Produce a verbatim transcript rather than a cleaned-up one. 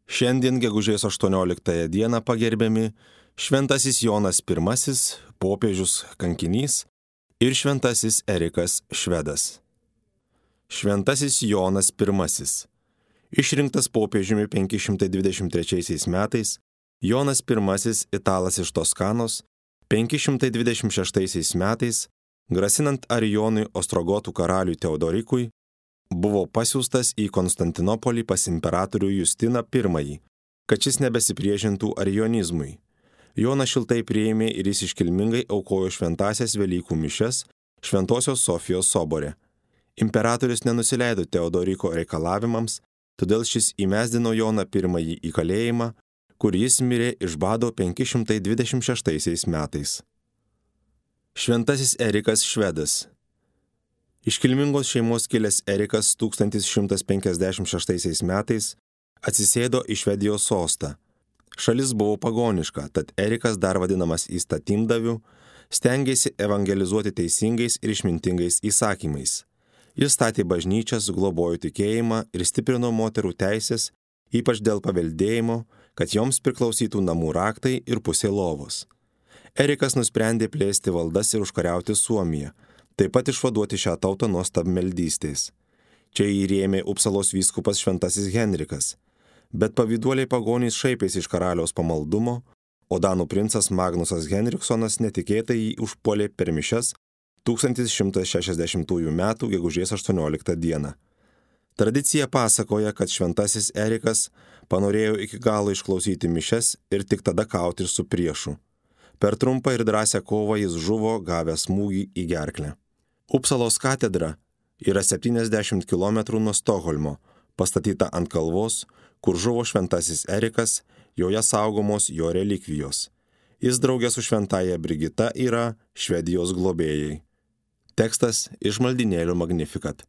Šiandien gegužės aštuonioliktąją dieną pagerbiami šventasis Jonas pirmasis, popiežius kankinys ir šventasis Erikas Švedas. Šventasis Jonas pirmasis. Išrinktas popiežiumi penki šimtai dvidešimt trečiaisiais metais, Jonas pirmasis, italas iš Toskanos, penki šimtai dvidešimt šeštaisiais metais, grasinant Arijonui Ostrogotų karaliui Teodorikui, buvo pasiųstas į Konstantinopolį pas imperatorių Justiną pirmąjį, kad šis nebesipriešintų arijonizmui. Jonas šiltai priėmė ir jis iškilmingai aukojo šventąsias Velykų mišias Šventosios Sofijos sobore. Imperatorius nenusileido Teodoriko reikalavimams, todėl šis įmesdino Joną pirmąjį į kalėjimą, kur jis mirė iš bado penki šimtai dvidešimt šeštaisiais metais. Šventasis Erikas Švedas. Iškilmingos šeimos kilęs Erikas tūkstantis šimtas penkiasdešimt šeštaisiais metais atsisėdo į Švedijos sostą. Šalis buvo pagoniška, tad Erikas, dar vadinamas įstatymdaviu, stengėsi evangelizuoti teisingais ir išmintingais įsakymais. Jis statė bažnyčias, globojo tikėjimą ir stiprino moterų teisės, ypač dėl paveldėjimo, kad joms priklausytų namų raktai ir pusė lovos. Erikas nusprendė plėsti valdas ir užkariauti Suomiją, taip pat išvaduoti šią tautą nuo stabmeldystės. Čia jį rėmė Upsalos vyskupas šventasis Henrikas, bet pavyduoliai pagonys šaipėsi iš karaliaus pamaldumo, o danų princas Magnusas Henriksonas netikėtai jį užpuolė per mišias tūkstantis šimtas šešiasdešimtųjų metų gegužės aštuonioliktą dieną. Tradicija pasakoja, kad šventasis Erikas panorėjo iki galo išklausyti mišias ir tik tada kauti su priešu. Per trumpą ir drąsią kovą jis žuvo gavęs smūgį į gerklę. Upsalos katedra yra septyniasdešimt kilometrų nuo Stokholmo, pastatyta ant kalvos, kur žuvo šventasis Erikas, joje saugomos jo relikvijos. Jis draugė su šventaja Brigita yra Švedijos globėjai. Tekstas iš maldynėlio Magnificat.